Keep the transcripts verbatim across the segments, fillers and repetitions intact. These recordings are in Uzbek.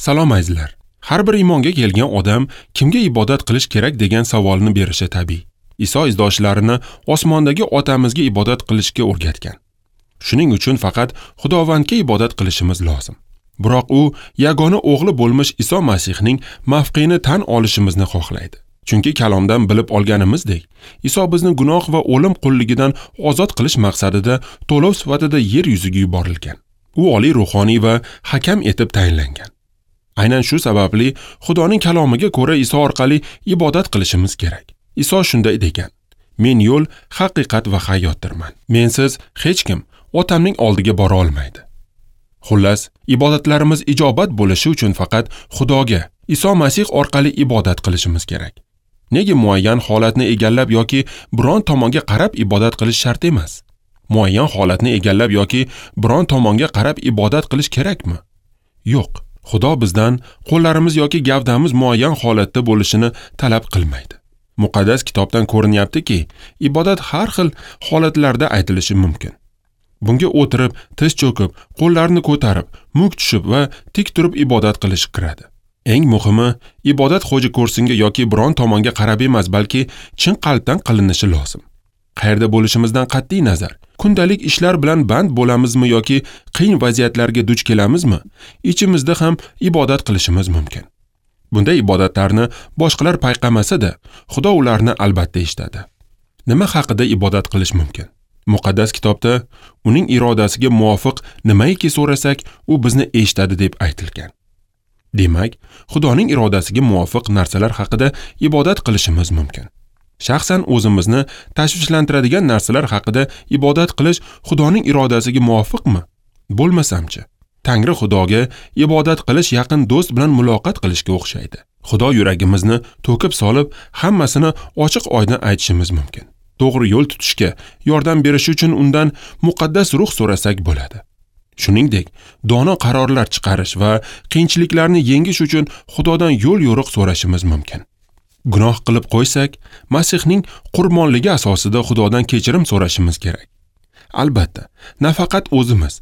Salom azizlar. Har bir iymonga kelgan odam kimga ibodat qilish kerak degan savolni berishi tabiiy. Iso izdoshlarini osmondagi otamizga ibodat qilishga o'rgatgan. Shuning uchun faqat Xudovandga ibodat qilishimiz lozim. Biroq u yagona o'g'li bo'lmish Iso Masihning mavqeini tan olishimizni xohlaydi. Chunki kalomdan bilib olganimizdek, Iso bizni gunoh va o'lim qulligidan ozod qilish maqsadida to'lov sifatida yer yuziga yuborilgan. U oliy ruhoniy va hakam etib tayinlangan. Aynan shu sababli Xudoning kalomiga ko'ra Iso orqali ibodat qilishimiz kerak. Iso shunday degan: Men yo'l, haqiqat va hayotdirman. Mensiz hech kim Otamning oldiga bora olmaydi. Xullas, ibodatlarimiz ijobat bo'lishi uchun faqat Xudoga, Iso Masih orqali ibodat qilishimiz kerak. Nega muayyan holatni egallab yoki biron tomonga qarab ibodat qilish shart emas? Muayyan holatni egallab yoki biron tomonga qarab ibodat qilish kerakmi? Yo'q. Xudo bizdan qo'llarimiz yoki gavdamiz muayyan holatda bo'lishini talab qilmaydi. Muqaddas kitobdan ko'rinyaptiki, ibodat har xil holatlarda aytilishi mumkin. Bunga o'tirib, tiz cho'kib, qo'llarni ko'tarib, muk tushib va tik turib ibodat qilish kiradi. Eng muhimi, ibodat xo'ja ko'rsinga yoki biron tomonga qarab emas, balki chin qalbdan qilinishi lozim. Qayerda bo'lishimizdan qat'iy nazar, kundalik ishlar bilan band bo'lamizmi yoki qiyin vaziyatlarga duch kelamizmi, ichimizda ham ibodat qilishimiz mumkin. Bunday ibodatlarni boshqalar payqamasa-da, Xudo ularni albatta eshitadi. Nima haqida ibodat qilish mumkin? Muqaddas kitobda uning irodasiga muvofiq nimaiki so'rasak, u bizni eshitadi deb aytilgan. Demak, Xudoning irodasiga muvofiq narsalar haqida ibodat qilishimiz mumkin. Shaxsan o'zimizni tashvishlantiradigan narsalar haqida ibodat qilish Xudoning irodasiga muvofiqmi? Bo'lmasamchi? Tangri Xudoga ibodat qilish yaqin do'st bilan muloqot qilishga o'xshaydi. Xudo yuragimizni to'kib solib, hammasini ochiq oydin aytishimiz mumkin. To'g'ri yo'l tutishga yordam berish uchun undan muqaddas ruh so'rasak bo'ladi. Shuningdek, dono qarorlar chiqarish va qiyinchiliklarni yengish uchun Xudodan yo'l yo'riq so'rashimiz mumkin. Gunoh qilib qo'ysak, Masihning qurbonligi asosida Xudodan kechirim so'rashimiz kerak. Albatta, nafaqat o'zimiz,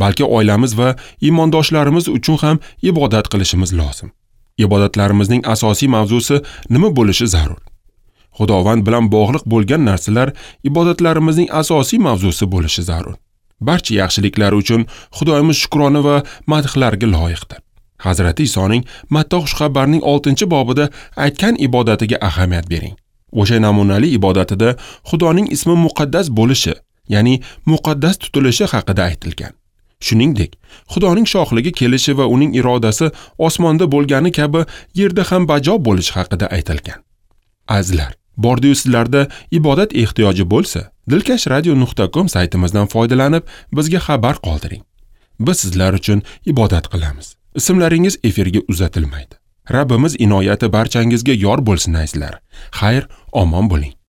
balki oilamiz va iymondoshlarimiz uchun ham ibodat qilishimiz lozim. Ibodatlarimizning asosiy mavzusi nima bo'lishi zarur? Xudovand bilan bog'liq bo'lgan narsalar ibodatlarimizning asosiy mavzusi bo'lishi zarur. Barcha yaxshiliklar uchun Xudoyimiz shukrona va madhlarga loyiqdir. Hazrati Isoning Matta xushxabarining oltinchi bobida aytgan ibodatiga ahamiyat bering. O'sha namunali ibodatida Xudoning ismi muqaddas bo'lishi, ya'ni muqaddas tutilishi haqida aytilgan. Shuningdek, Xudoning shohligi kelishi va uning irodasi osmonda bo'lgani kabi yerda ham bajo bo'lishi haqida aytilgan. Azizlar, bordiyu sizlarda ibodat ehtiyoji bo'lsa, dilkash radio nuqta com saytimizdan foydalanib bizga xabar qoldiring. Biz sizlar uchun ibodat qilamiz. Ismlaringiz efirga uzatilmaydi. Rabbimiz inoyati barchangizga yor bo'lsin azizlar. Xayr, omon bo'ling.